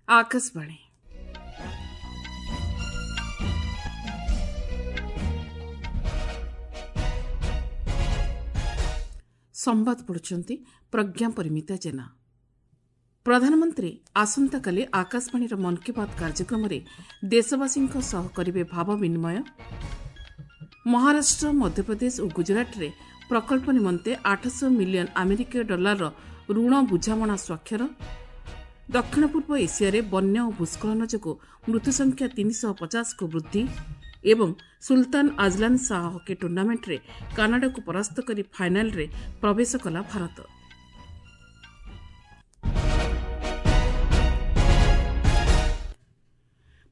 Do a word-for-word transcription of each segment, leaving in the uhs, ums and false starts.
ଆକାଶବାଣୀ। ସମ୍ବାଦ ପଢ଼ୁଛନ୍ତି ପ୍ରଜ୍ଞା ପରିମିତା ଜେନା। ପ୍ରଧାନମନ୍ତ୍ରୀ ଆସନ୍ତାକାଲି ଆକାଶବାଣୀର ମନ୍ କି ବାତ୍ କାର୍ଯ୍ୟକ୍ରମରେ ଦେଶବାସୀଙ୍କ ସହ କରିବେ ଭାବ ବିନିମୟ। ମହାରାଷ୍ଟ୍ର, ମଧ୍ୟପ୍ରଦେଶ ଓ ଗୁଜରାଟରେ ପ୍ରକଳ୍ପ ନିମନ୍ତେ ଆଠଶହ ମିଲିୟନ୍ ଆମେରିକୀୟ ଡଲାରର ଋଣ ବୁଝାମଣା ସ୍ୱାକ୍ଷର। ଦକ୍ଷିଣ ପୂର୍ବ ଏସିଆରେ ବନ୍ୟା ଓ ଭୂସ୍ଖଳନ ଯୋଗୁଁ ମୃତ୍ୟୁସଂଖ୍ୟା ତିନିଶହ ପଚାଶକୁ ବୃଦ୍ଧି ଏବଂ ସୁଲତାନ ଆଜଲାନ୍ ଶାହା ହକି ଟୁର୍ଣ୍ଣାମେଣ୍ଟରେ କାନାଡାକୁ ପରାସ୍ତ କରି ଫାଇନାଲରେ ପ୍ରବେଶ କଲା ଭାରତ।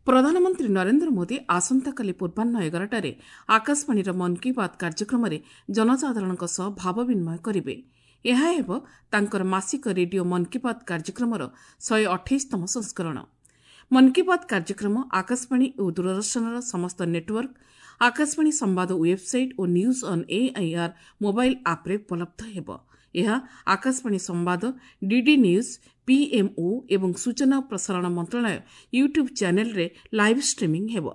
ପ୍ରଧାନମନ୍ତ୍ରୀ ନରେନ୍ଦ୍ର ମୋଦି ଆସନ୍ତାକାଲି ପୂର୍ବାହ୍ନ ଏଗାରଟାରେ ଆକାଶବାଣୀର ମନ୍ କି ବାତ୍ କାର୍ଯ୍ୟକ୍ରମରେ ଜନସାଧାରଣଙ୍କ ସହ ଭାବ ବିନିମୟ କରିବେ। ଏହା ହେବ ତାଙ୍କର ମାସିକ ରେଡିଓ ମନ୍ କି ବାତ୍ କାର୍ଯ୍ୟକ୍ରମର ଶହେ ଅଠେଇଶତମ ସଂସ୍କରଣ। ମନ୍ କି ବାତ୍ କାର୍ଯ୍ୟକ୍ରମ ଆକାଶବାଣୀ ଓ ଦୂରଦର୍ଶନର ସମସ୍ତ ନେଟୱାର୍କ, ଆକାଶବାଣୀ ସମ୍ବାଦ website O news on AIR mobile ଆପ୍ରେ ଉପଲବ୍ଧ ହେବ। ଏହା ଆକାଶବାଣୀ ସମ୍ବାଦ, ଡିଡି ନ୍ୟୁଜ୍, ପିଏମ୍ଓ ଏବଂ ସୂଚନା ଓ ପ୍ରସାରଣ ମନ୍ତ୍ରଣାଳୟ ୟୁଟ୍ୟୁବ୍ ଚ୍ୟାନେଲ୍ରେ ଲାଇଭ୍ ଷ୍ଟ୍ରିମିଂ ହେବ।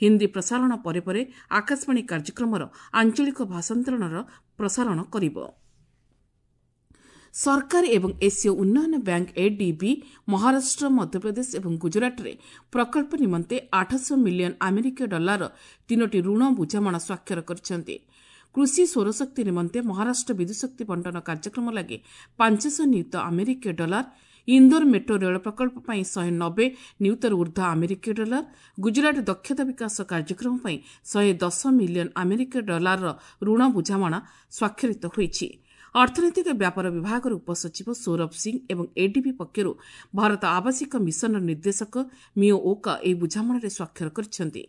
ହିନ୍ଦୀ ପ୍ରସାରଣ ପରେ ପରେ ଆକାଶବାଣୀ କାର୍ଯ୍ୟକ୍ରମର ଆଞ୍ଚଳିକ ଭାଷାନ୍ତରଣର ପ୍ରସାରଣ କରିବ। ସରକାର ଏବଂ ଏସୀୟ ଉନ୍ନୟନ ବ୍ୟାଙ୍କ ଏଡିବି ମହାରାଷ୍ଟ୍ର, ମଧ୍ୟପ୍ରଦେଶ ଏବଂ ଗୁଜରାଟରେ ପ୍ରକଳ୍ପ ନିମନ୍ତେ ଆଠଶହ ମିଲିୟନ୍ ଆମେରିକୀୟ ଡଲାରର ତିନୋଟି ଋଣ ବୁଝାମଣା ସ୍ୱାକ୍ଷର କରିଛନ୍ତି। କୃଷି ସୌରଶକ୍ତି ନିମନ୍ତେ ମହାରାଷ୍ଟ୍ର ବିଦ୍ୟୁତ୍ଶକ୍ତି ବଣ୍ଟନ କାର୍ଯ୍ୟକ୍ରମ ଲାଗି ପାଞ୍ଚଶହ ନିୟୁତ ଆମେରିକୀୟ ଡଲାର, ଇନ୍ଦୋର ମେଟ୍ରୋ ରେଳ ପ୍ରକଳ୍ପ ପାଇଁ ଶହେ ନବେ ନିୟୁତରୁ ଉର୍ଦ୍ଧ୍ୱ ଆମେରିକୀୟ ଡଲାର, ଗୁଜରାଟ ଦକ୍ଷତା ବିକାଶ କାର୍ଯ୍ୟକ୍ରମ ପାଇଁ ଶହେ ଦଶ ମିଲିୟନ୍ ଆମେରିକୀୟ ଡଲାରର ଋଣ ବୁଝାମଣା ସ୍ୱାକ୍ଷରିତ ହୋଇଛି। ଅର୍ଥନୈତିକ ବ୍ୟାପାର ବିଭାଗର ଉପସଚିବ ସୌରଭ ସିଂ ଏବଂ ଏଡିବି ପକ୍ଷରୁ ଭାରତ ଆବାସିକ ମିଶନର ନିର୍ଦ୍ଦେଶକ ମିଓ ଓକା ଏହି ବୁଝାମଣାରେ ସ୍ୱାକ୍ଷର କରିଛନ୍ତି।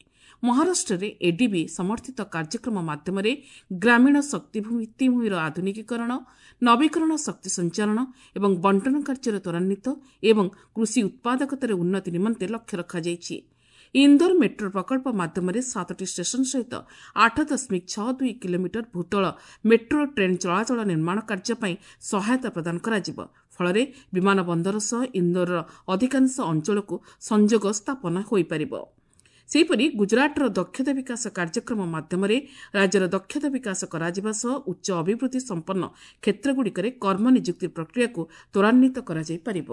ମହାରାଷ୍ଟ୍ରରେ ଏଡିବି ସମର୍ଥିତ କାର୍ଯ୍ୟକ୍ରମ ମାଧ୍ୟମରେ ଗ୍ରାମୀଣ ଶକ୍ତି ଭିତ୍ତିଭୂମିର ଆଧୁନିକୀକରଣ, ନବୀକରଣ ଶକ୍ତି ସଞ୍ଚାରଣ ଏବଂ ବଣ୍ଟନ କାର୍ଯ୍ୟର ତ୍ୱରାନ୍ୱିତ ଏବଂ କୃଷି ଉତ୍ପାଦକତାରେ ଉନ୍ନତି ନିମନ୍ତେ ଲକ୍ଷ୍ୟ ରଖାଯାଇଛି। ଇନ୍ଦୋର ମେଟ୍ରୋ ପ୍ରକଳ୍ପ ମାଧ୍ୟମରେ ସାତଟି ଷ୍ଟେସନ ସହିତ ଆଠ ଦଶମିକ ଛଅ ଦୁଇ କିଲୋମିଟର ଭୂତଳ ମେଟ୍ରୋ ଟ୍ରେନ୍ ଚଳାଚଳ ନିର୍ମାଣ କାର୍ଯ୍ୟ ପାଇଁ ସହାୟତା ପ୍ରଦାନ କରାଯିବ। ଫଳରେ ବିମାନ ବନ୍ଦର ସହ ଇନ୍ଦୋରର ଅଧିକାଂଶ ଅଞ୍ଚଳକୁ ସଂଯୋଗ ସ୍ଥାପନ ହୋଇପାରିବ। ସେହିପରି ଗୁଜରାଟର ଦକ୍ଷତା ବିକାଶ କାର୍ଯ୍ୟକ୍ରମ ମାଧ୍ୟମରେ ରାଜ୍ୟର ଦକ୍ଷତା ବିକାଶ କରାଯିବା ସହ ଉଚ୍ଚ ଅଭିବୃଦ୍ଧି ସମ୍ପନ୍ନ କ୍ଷେତ୍ରଗୁଡ଼ିକରେ କର୍ମନିଯୁକ୍ତି ପ୍ରକ୍ରିୟାକୁ ତ୍ୱରାନ୍ୱିତ କରାଯାଇପାରିବ।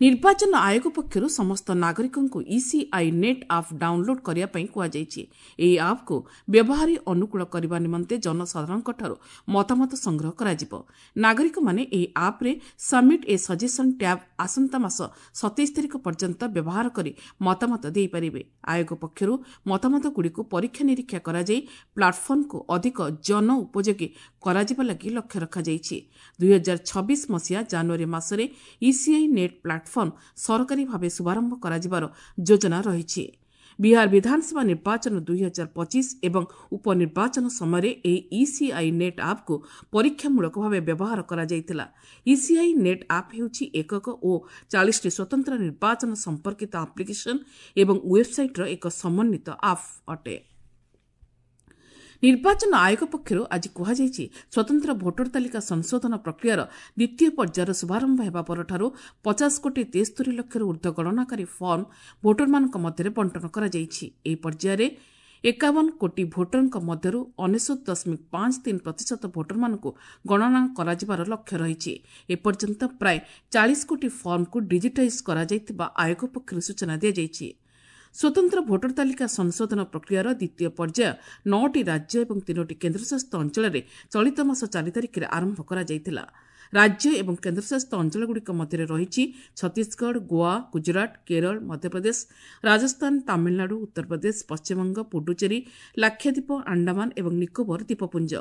ନିର୍ବାଚନ ଆୟୋଗ ପକ୍ଷରୁ ସମସ୍ତ ନାଗରିକଙ୍କୁ ଇସିଆଇ ନେଟ୍ ଆପ୍ ଡାଉନଲୋଡ୍ କରିବା ପାଇଁ କୁହାଯାଇଛି। ଏହି ଆପ୍କୁ ବ୍ୟବହାରୀ ଅନୁକୂଳ କରିବା ନିମନ୍ତେ ଜନସାଧାରଣଙ୍କଠାରୁ ମତାମତ ସଂଗ୍ରହ କରାଯିବ। ନାଗରିକମାନେ ଏହି ଆପ୍ରେ ସବମିଟ୍ ଏ ସଜେସନ୍ ଟ୍ୟାବ୍ ଆସନ୍ତା ମାସ ସତେଇଶ ତାରିଖ ପର୍ଯ୍ୟନ୍ତ ବ୍ୟବହାର କରି ମତାମତ ଦେଇପାରିବେ। ଆୟୋଗ ପକ୍ଷରୁ ମତାମତଗୁଡ଼ିକୁ ପରୀକ୍ଷା ନିରୀକ୍ଷା କରାଯାଇ ପ୍ଲାଟଫର୍ମକୁ ଅଧିକ ଜନ ଉପଯୋଗୀ କରାଯିବା ଲାଗି ଲକ୍ଷ୍ୟ ରଖାଯାଇଛି। ଦୁଇହଜାର ଛବିଶ ମସିହା ଜାନୁଆରୀ ମାସରେ ଇସିଆଇ ନେଟ୍ ପ୍ଲାଟଫର୍ମ ସରକାରୀ ଭାବେ ଶୁଭାରମ୍ଭ କରାଯିବାର ଯୋଜନା ରହିଛି। ବିହାର ବିଧାନସଭା ନିର୍ବାଚନ ଦୁଇହଜାର ପଚିଶ ଏବଂ ଉପନିର୍ବାଚନ ସମୟରେ ଏହି ଇସିଆଇ ନେଟ୍ ଆପ୍କୁ ପରୀକ୍ଷାମୂଳକ ଭାବେ ବ୍ୟବହାର କରାଯାଇଥିଲା। ଇସିଆଇ ନେଟ୍ ଆପ୍ ହେଉଛି ଏକକ ଓ ଚାଳିଶଟି ସ୍ୱତନ୍ତ୍ର ନିର୍ବାଚନ ସମ୍ପର୍କିତ ଆପ୍ଲିକେସନ୍ ଏବଂ ୱେବ୍ସାଇଟ୍ର ଏକ ସମନ୍ୱିତ ଆପ୍ ଅଟେ। ନିର୍ବାଚନ ଆୟୋଗ ପକ୍ଷରୁ ଆଜି କୁହାଯାଇଛି, ସ୍ୱତନ୍ତ୍ର ଭୋଟର ତାଲିକା ସଂଶୋଧନ ପ୍ରକ୍ରିୟାର ଦ୍ୱିତୀୟ ପର୍ଯ୍ୟାୟର ଶୁଭାରମ୍ଭ ହେବା ପରଠାରୁ ପଚାଶ କୋଟି ତେସ୍ତରି ଲକ୍ଷରୁ ଉର୍ଦ୍ଧ୍ୱ ଗଣନାକାରୀ ଫର୍ମ ଭୋଟରମାନଙ୍କ ମଧ୍ୟରେ ବଣ୍ଟନ କରାଯାଇଛି। ଏହି ପର୍ଯ୍ୟାୟରେ ଏକାବନ କୋଟି ଭୋଟରଙ୍କ ମଧ୍ୟରୁ ଅନେଶତ ଦଶମିକ ପାଞ୍ଚ ତିନି ପ୍ରତିଶତ ଭୋଟରମାନଙ୍କୁ ଗଣନା କରାଯିବାର ଲକ୍ଷ୍ୟ ରହିଛି। ଏପର୍ଯ୍ୟନ୍ତ ପ୍ରାୟ ଚାଳିଶ କୋଟି ଫର୍ମକୁ ଡିଜିଟାଇଜ୍ କରାଯାଇଥିବା ଆୟୋଗ ପକ୍ଷରୁ ସୂଚନା ଦିଆଯାଇଛି। ସ୍ୱତନ୍ତ୍ର ଭୋଟର ତାଲିକା ସଂଶୋଧନ ପ୍ରକ୍ରିୟାର ଦ୍ୱିତୀୟ ପର୍ଯ୍ୟାୟ ନଅଟି ରାଜ୍ୟ ଏବଂ ତିନୋଟି କେନ୍ଦ୍ରଶାସିତ ଅଞ୍ଚଳରେ ଚଳିତ ମାସ ଚାରି ତାରିଖରେ ଆରମ୍ଭ କରାଯାଇଥିଲା। ରାଜ୍ୟ ଏବଂ କେନ୍ଦ୍ରଶାସିତ ଅଞ୍ଚଳଗୁଡ଼ିକ ମଧ୍ୟରେ ରହିଛି ଛତିଶଗଡ଼, ଗୋଆ, ଗୁଜରାଟ, କେରଳ, ମଧ୍ୟପ୍ରଦେଶ, ରାଜସ୍ଥାନ, ତାମିଲନାଡୁ, ଉତ୍ତରପ୍ରଦେଶ, ପଶ୍ଚିମବଙ୍ଗ, ପୁଡୁଚେରୀ, ଲାକ୍ଷାଦ୍ୱୀପ, ଆଣ୍ଡାମାନ ଏବଂ ନିକୋବର ଦ୍ୱୀପପୁଞ୍ଜ।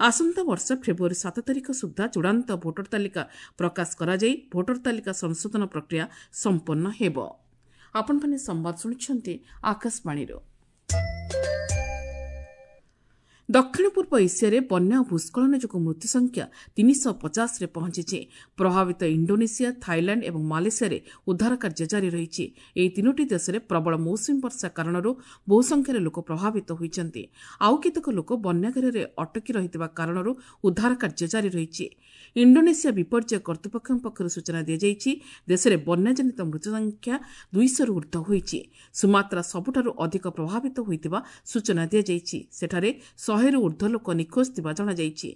ଆସନ୍ତା ବର୍ଷ ଫେବୃଆରୀ ସାତ ତାରିଖ ସୁଦ୍ଧା ଚୂଡ଼ାନ୍ତ ଭୋଟର ତାଲିକା ପ୍ରକାଶ କରାଯାଇ ଭୋଟର ତାଲିକା ସଂଶୋଧନ ପ୍ରକ୍ରିୟା ସମ୍ପନ୍ନ ହେବ। ଆପଣମାନେ ସମ୍ବାଦ ଶୁଣୁଛନ୍ତି ଆକାଶବାଣୀରୁ। ଦକ୍ଷିଣ ପୂର୍ବ ଏସିଆରେ ବନ୍ୟା ଓ ଭୂସ୍ଖଳନ ଯୋଗୁଁ ମୃତ୍ୟୁ ସଂଖ୍ୟା ତିନିଶହ ପଚାଶରେ ପହଞ୍ଚିଛି। ପ୍ରଭାବିତ ଇଣ୍ଡୋନେସିଆ, ଥାଇଲାଣ୍ଡ ଏବଂ ମାଲେସିଆରେ ଉଦ୍ଧାର କାର୍ଯ୍ୟ ଜାରି ରହିଛି। ଏହି ତିନୋଟି ଦେଶରେ ପ୍ରବଳ ମୌସୁମୀ ବର୍ଷା କାରଣରୁ ବହୁ ସଂଖ୍ୟାରେ ଲୋକ ପ୍ରଭାବିତ ହୋଇଛନ୍ତି। ଆଉ କେତେକ ଲୋକ ବନ୍ୟାଘେରରେ ଅଟକି ରହିଥିବା କାରଣରୁ ଉଦ୍ଧାର କାର୍ଯ୍ୟ ଜାରି ରହିଛି। ଇଣ୍ଡୋନେସିଆ ବିପର୍ଯ୍ୟୟ କର୍ତ୍ତୃପକ୍ଷଙ୍କ ପକ୍ଷରୁ ସୂଚନା ଦିଆଯାଇଛି, ଦେଶରେ ବନ୍ୟାଜନିତ ମୃତ୍ୟୁ ସଂଖ୍ୟା ଦୁଇଶହରୁ ଉର୍ଦ୍ଧ୍ୱ ହୋଇଛି। ସୁମାତ୍ରା ସବୁଠାରୁ ଅଧିକ ପ୍ରଭାବିତ ହୋଇଥିବା ସୂଚନା ଦିଆଯାଇଛି। ସେଠାରେ ଶହେରୁ ଉର୍ଦ୍ଧ୍ୱ ଲୋକ ନିଖୋଜ ଥିବା ଜଣାଯାଇଛି।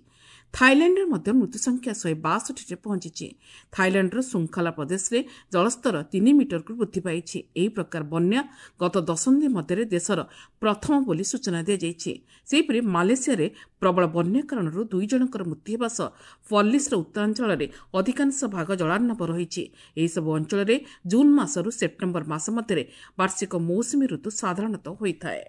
ଥାଇଲାଣ୍ଡରେ ମଧ୍ୟ ମୃତ୍ୟୁ ସଂଖ୍ୟା ଶହେ ବାଷଠିରେ ପହଞ୍ଚିଛି। ଥାଇଲାଣ୍ଡର ଶୃଙ୍ଖଲା ପ୍ରଦେଶରେ ଜଳସ୍ତର ତିନି ମିଟରକୁ ବୃଦ୍ଧି ପାଇଛି। ଏହି ପ୍ରକାର ବନ୍ୟା ଗତ ଦଶନ୍ଧି ମଧ୍ୟରେ ଦେଶର ପ୍ରଥମ ବୋଲି ସୂଚନା ଦିଆଯାଇଛି। ସେହିପରି ମାଲେସିଆରେ ପ୍ରବଳ ବନ୍ୟା କାରଣରୁ ଦୁଇ ଜଣଙ୍କର ମୃତ୍ୟୁ ହେବା ସହ ପର୍ଲିସ୍ର ଉତ୍ତରାଞ୍ଚଳରେ ଅଧିକାଂଶ ଭାଗ ଜଳାର୍ଣ୍ଣବ ରହିଛି। ଏହିସବୁ ଅଞ୍ଚଳରେ ଜୁନ୍ ମାସରୁ ସେପ୍ଟେମ୍ବର ମାସ ମଧ୍ୟରେ ବାର୍ଷିକ ମୌସୁମୀ ଋତୁ ସାଧାରଣତଃ ହୋଇଥାଏ।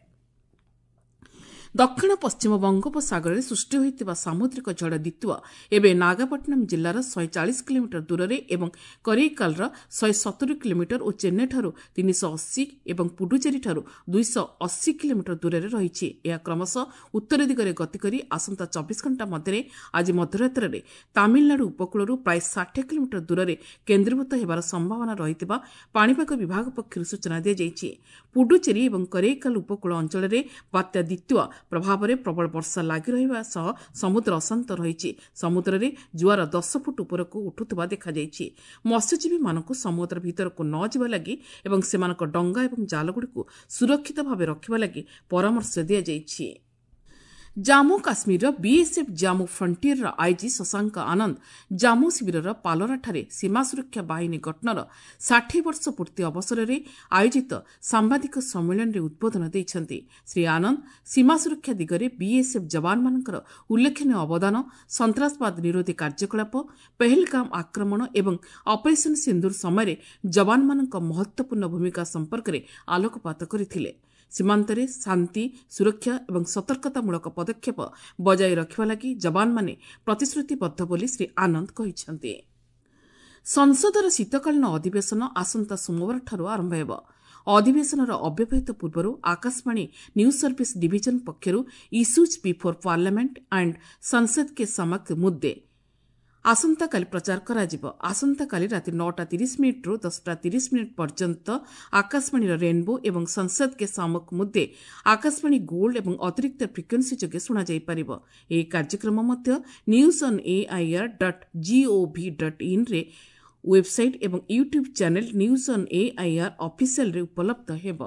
ଦକ୍ଷିଣ ପଶ୍ଚିମ ବଙ୍ଗୋପସାଗରରେ ସୃଷ୍ଟି ହୋଇଥିବା ସାମୁଦ୍ରିକ ଝଡ଼ ଦିତ୍ୱା ଏବେ ନାଗାପଟ୍ଟନମ ଜିଲ୍ଲାର ଶହେ ଚାଳିଶ କିଲୋମିଟର ଦୂରରେ ଏବଂ କରିଇକାଲର ଶହେ ସତୁରି କିଲୋମିଟର ଓ ଚେନ୍ନାଇଠାରୁ ତିନିଶହ ଅଶୀ ଏବଂ ପୁଡୁଚେରୀଠାରୁ ଦୁଇଶହ ଅଶୀ କିଲୋମିଟର ଦୂରରେ ରହିଛି। ଏହା କ୍ରମଶଃ ଉତ୍ତର ଦିଗରେ ଗତି କରି ଆସନ୍ତା ଚବିଶ ଘଣ୍ଟା ମଧ୍ୟରେ ଆଜି ମଧ୍ୟରାତ୍ରରେ ତାମିଲନାଡୁ ଉପକୂଳରୁ ପ୍ରାୟ ଷାଠିଏ କିଲୋମିଟର ଦୂରରେ କେନ୍ଦ୍ରୀଭୂତ ହେବାର ସମ୍ଭାବନା ରହିଥିବା ପାଣିପାଗ ବିଭାଗ ପକ୍ଷରୁ ସୂଚନା ଦିଆଯାଇଛି। ପୁଡୁଚେରୀ ଏବଂ କରିଇକାଲ ଉପକୂଳ ଅଞ୍ଚଳରେ ବାତ୍ୟା ଦିତ୍ୱା ପ୍ରଭାବରେ ପ୍ରବଳ ବର୍ଷା ଲାଗି ରହିବା ସହ ସମୁଦ୍ର ଅଶାନ୍ତ ରହିଛି। ସମୁଦ୍ରରେ ଜୁଆର ଦଶ ଫୁଟ ଉପରକୁ ଉଠୁଥିବା ଦେଖାଯାଇଛି। ମତ୍ସ୍ୟଜୀବୀମାନଙ୍କୁ ସମୁଦ୍ର ଭିତରକୁ ନ ଯିବା ଲାଗି ଏବଂ ସେମାନଙ୍କ ଡଙ୍ଗା ଏବଂ ଜାଲଗୁଡ଼ିକୁ ସୁରକ୍ଷିତ ଭାବେ ରଖିବା ଲାଗି ପରାମର୍ଶ ଦିଆଯାଇଛି। ଜାମ୍ମୁ କାଶ୍ମୀରର ବିଏସ୍ଏଫ୍ ଜାମ୍ମୁ ଫ୍ରଣ୍ଟିୟରର ଆଇଜି ଶଶାଙ୍କ ଆନନ୍ଦ ଜାମ୍ମୁ ଶିବିରର ପାଲୋରାଠାରେ ସୀମା ସୁରକ୍ଷା ବାହିନୀ ଗଠନର ଷାଠିଏ ବର୍ଷ ପୂର୍ତ୍ତି ଅବସରରେ ଆୟୋଜିତ ସାମ୍ବାଦିକ ସମ୍ମିଳନୀରେ ଉଦ୍ବୋଧନ ଦେଇଛନ୍ତି। ଶ୍ରୀ ଆନନ୍ଦ ସୀମା ସୁରକ୍ଷା ଦିଗରେ ବିଏସ୍ଏଫ୍ ଯବାନମାନଙ୍କର ଉଲ୍ଲେଖନୀୟ ଅବଦାନ, ସନ୍ତ୍ରାସବାଦ ନିରୋଧୀ କାର୍ଯ୍ୟକଳାପ, ପେହେଲଗାମ ଆକ୍ରମଣ ଏବଂ ଅପରେସନ ସିନ୍ଦୁର ସମୟରେ ଯବାନମାନଙ୍କ ମହତ୍ୱପୂର୍ଣ୍ଣ ଭୂମିକା ସମ୍ପର୍କରେ ଆଲୋକପାତ କରିଥିଲେ। ସୀମାନ୍ତରେ ଶାନ୍ତି, ସୁରକ୍ଷା ଏବଂ ସତର୍କତାମୂଳକ ପଦକ୍ଷେପ ବଜାୟ ରଖିବା ଲାଗି ଯବାନମାନେ ପ୍ରତିଶ୍ରୁତିବଦ୍ଧ ବୋଲି ଶ୍ରୀ ଆନନ୍ଦ କହିଛନ୍ତି। ସଂସଦର ଶୀତକାଳୀନ ଅଧିବେଶନ ଆସନ୍ତା ସୋମବାରଠାରୁ ଆରମ୍ଭ ହେବ। ଅଧିବେଶନର ଅବ୍ୟବହିତ ପୂର୍ବରୁ ଆକାଶବାଣୀ ନ୍ୟୁଜ୍ ସର୍ଭିସ ଡିଭିଜନ ପକ୍ଷରୁ issues before parliament and ସଂସଦ କେ ସମକ୍ଷ ମୁଦ୍ଦେ ଆସନ୍ତାକାଲି ପ୍ରଚାର କରାଯିବ। ଆସନ୍ତାକାଲି ରାତି ନଅଟା ତିରିଶ ମିନିଟ୍ରୁ ଦଶଟା ତିରିଶ ମିନିଟ୍ ପର୍ଯ୍ୟନ୍ତ ଆକାଶବାଣୀର ରେନ୍ବୋ ଏବଂ ସଂସଦ କେ ସାମକ ମୁଦ୍ଦେ ଆକାଶବାଣୀ ଗୋଲ୍ଡ ଏବଂ ଅତିରିକ୍ତ ଫ୍ରିକ୍ୱେନ୍ସି ଯୋଗେ ଶୁଣାଯାଇପାରିବ। ଏହି କାର୍ଯ୍ୟକ୍ରମ ମଧ୍ୟ news on AIR dot gov dot ଇନ୍ରେ website ଏବଂ YouTube channel news on AIR ଅଫିସିଆଲରେ ଉପଲବ୍ଧ ହେବ।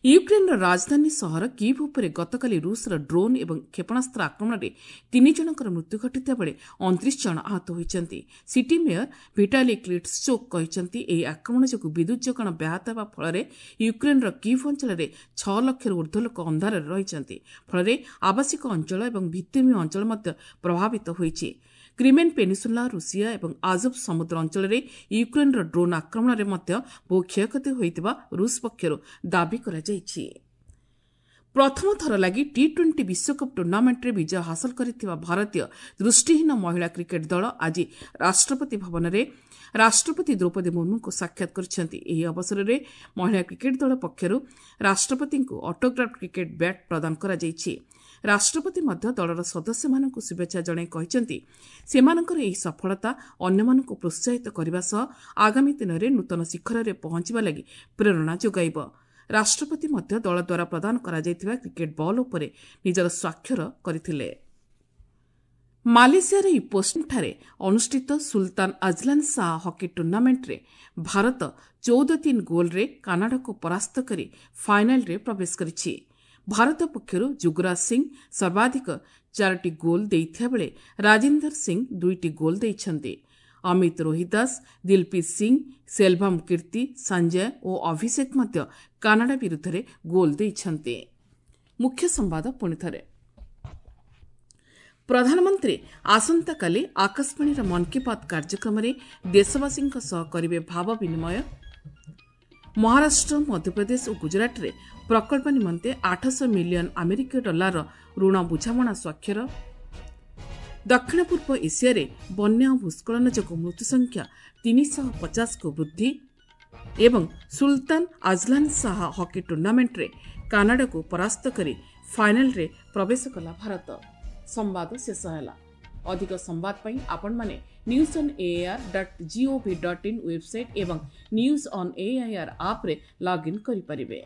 ୟୁକ୍ରେନ୍ର ରାଜଧାନୀ ସହର କିଭ୍ ଉପରେ ଗତକାଲି ରୁଷର ଡ୍ରୋନ୍ ଏବଂ କ୍ଷେପଣାସ୍ତ୍ର ଆକ୍ରମଣରେ ତିନି ଜଣଙ୍କର ମୃତ୍ୟୁ ଘଟିଥିବା ବେଳେ ଅଣତିରିଶ ଜଣ ଆହତ ହୋଇଛନ୍ତି। ସିଟି ମେୟର ଭିଟାଲି କ୍ଲିଟ୍ସଚୋକ୍ କହିଛନ୍ତି, ଏହି ଆକ୍ରମଣ ଯୋଗୁଁ ବିଦ୍ୟୁତ୍ ଯୋଗାଣ ବ୍ୟାହତ ହେବା ଫଳରେ ୟୁକ୍ରେନ୍ର କିଭ୍ ଅଞ୍ଚଳରେ ଛଅ ଲକ୍ଷରୁ ଉର୍ଦ୍ଧ୍ୱ ଲୋକ ଅନ୍ଧାରରେ ରହିଛନ୍ତି। ଫଳରେ ଆବାସିକ ଅଞ୍ଚଳ ଏବଂ ଭିତ୍ତିଭୂମି ଅଞ୍ଚଳ ମଧ୍ୟ ପ୍ରଭାବିତ ହୋଇଛି। କ୍ରିମେନ୍ ପେନିସୁଲା, ରୁଷିଆ ଏବଂ ଆଜୋଭ୍ ସମୁଦ୍ର ଅଞ୍ଚଳରେ ୟୁକ୍ରେନ୍ର ଡ୍ରୋନ୍ ଆକ୍ରମଣରେ ମଧ୍ୟ ବହୁ କ୍ଷୟକ୍ଷତି ହୋଇଥିବା ରୁଷ ପକ୍ଷରୁ ଦାବି କରାଯାଇଛି। ପ୍ରଥମ ଥର ଲାଗି ଟି ଟ୍ୱେଣ୍ଟି ବିଶ୍ୱକପ୍ ଟୁର୍ଣ୍ଣାମେଣ୍ଟରେ ବିଜୟ ହାସଲ କରିଥିବା ଭାରତୀୟ ଦୃଷ୍ଟିହୀନ ମହିଳା କ୍ରିକେଟ୍ ଦଳ ଆଜି ରାଷ୍ଟ୍ରପତି ଭବନରେ ରାଷ୍ଟ୍ରପତି ଦ୍ରୌପଦୀ ମୁର୍ମୁଙ୍କୁ ସାକ୍ଷାତ କରିଛନ୍ତି। ଏହି ଅବସରରେ ମହିଳା କ୍ରିକେଟ୍ ଦଳ ପକ୍ଷରୁ ରାଷ୍ଟ୍ରପତିଙ୍କୁ ଅଟୋଗ୍ରାଫ୍ କ୍ରିକେଟ୍ ବ୍ୟାଟ୍ ପ୍ରଦାନ କରାଯାଇଛି। ରାଷ୍ଟ୍ରପତି ମଧ୍ୟ ଦଳର ସଦସ୍ୟମାନଙ୍କୁ ଶୁଭେଚ୍ଛା ଜଣାଇ କହିଛନ୍ତି, ସେମାନଙ୍କର ଏହି ସଫଳତା ଅନ୍ୟମାନଙ୍କୁ ପ୍ରୋତ୍ସାହିତ କରିବା ସହ ଆଗାମୀ ଦିନରେ ନୂତନ ଶିଖରରେ ପହଞ୍ଚିବା ଲାଗି ପ୍ରେରଣା ଯୋଗାଇବ। ରାଷ୍ଟ୍ରପତି ମଧ୍ୟ ଦଳ ଦ୍ୱାରା ପ୍ରଦାନ କରାଯାଇଥିବା କ୍ରିକେଟ୍ ବଲ୍ ଉପରେ ନିଜର ସ୍ୱାକ୍ଷର କରିଥିଲେ। ମାଲେସିଆର ଇପୋଠାରେ ଅନୁଷ୍ଠିତ ସୁଲତାନ ଆଜଲାନ ଶାହ ହକି ଟୁର୍ଣ୍ଣାମେଣ୍ଟରେ ଭାରତ ଚଉଦ ତିନି ଗୋଲ୍ରେ କାନାଡାକୁ ପରାସ୍ତ କରି ଫାଇନାଲରେ ପ୍ରବେଶ କରିଛି। ଭାରତ ପକ୍ଷରୁ ଯୁଗରାଜ ସିଂ ସର୍ବାଧିକ ଚାରୋଟି ଗୋଲ୍ ଦେଇଥିବା ବେଳେ ରାଜିନ୍ଦର ସିଂ ଦୁଇଟି ଗୋଲ୍ ଦେଇଛନ୍ତି। ଅମିତ ରୋହିଦାସ, ଦିଲପ୍ରୀତ ସିଂ, ସେଲଭମ୍ କୀର୍ତ୍ତି, ସଞ୍ଜୟ ଓ ଅଭିଷେକ ମଧ୍ୟ କାନାଡା ବିରୁଦ୍ଧରେ ଗୋଲ୍ ଦେଇଛନ୍ତି। ମୁଖ୍ୟ ସମ୍ବାଦ ପୁଣିଥରେ। ପ୍ରଧାନମନ୍ତ୍ରୀ ଆସନ୍ତାକାଲି ଆକାଶବାଣୀର ମନ୍ କି ବାତ୍ କାର୍ଯ୍ୟକ୍ରମରେ ଦେଶବାସୀଙ୍କ ସହ କରିବେ ଭାବ ବିନିମୟ। ମହାରାଷ୍ଟ୍ର, ମଧ୍ୟପ୍ରଦେଶ ଓ ଗୁଜରାଟରେ ପ୍ରକଳ୍ପ ନିମନ୍ତେ ଆଠଶହ ମିଲିୟନ ଆମେରିକୀୟ ଡଲାରର ଋଣ ବୁଝାମଣା ସ୍ୱାକ୍ଷର। ଦକ୍ଷିଣ ପୂର୍ବ ଏସିଆରେ ବନ୍ୟା ଓ ଭୂସ୍ଖଳନ ଯୋଗୁଁ ମୃତ୍ୟୁ ସଂଖ୍ୟା ତିନିଶହ ପଚାଶକୁ ବୃଦ୍ଧି ଏବଂ ସୁଲତାନ ଆଜଲାନ ଶାହ ହକି ଟୁର୍ଣ୍ଣାମେଣ୍ଟରେ କାନାଡାକୁ ପରାସ୍ତ କରି ଫାଇନାଲ୍ରେ ପ୍ରବେଶ କଲା ଭାରତ। ସମ୍ବାଦ ଶେଷ ହେଲା। ଅଧିକ ସମ୍ବାଦ ପାଇଁ ଆପଣମାନେ news on AIR dot gov dot in website ଏବଂ ନ୍ୟୁଜ୍ ଅନ୍ ଏଆଇଆର୍ ଆପ୍ରେ ଲଗ୍ଇନ୍ କରିପାରିବେ।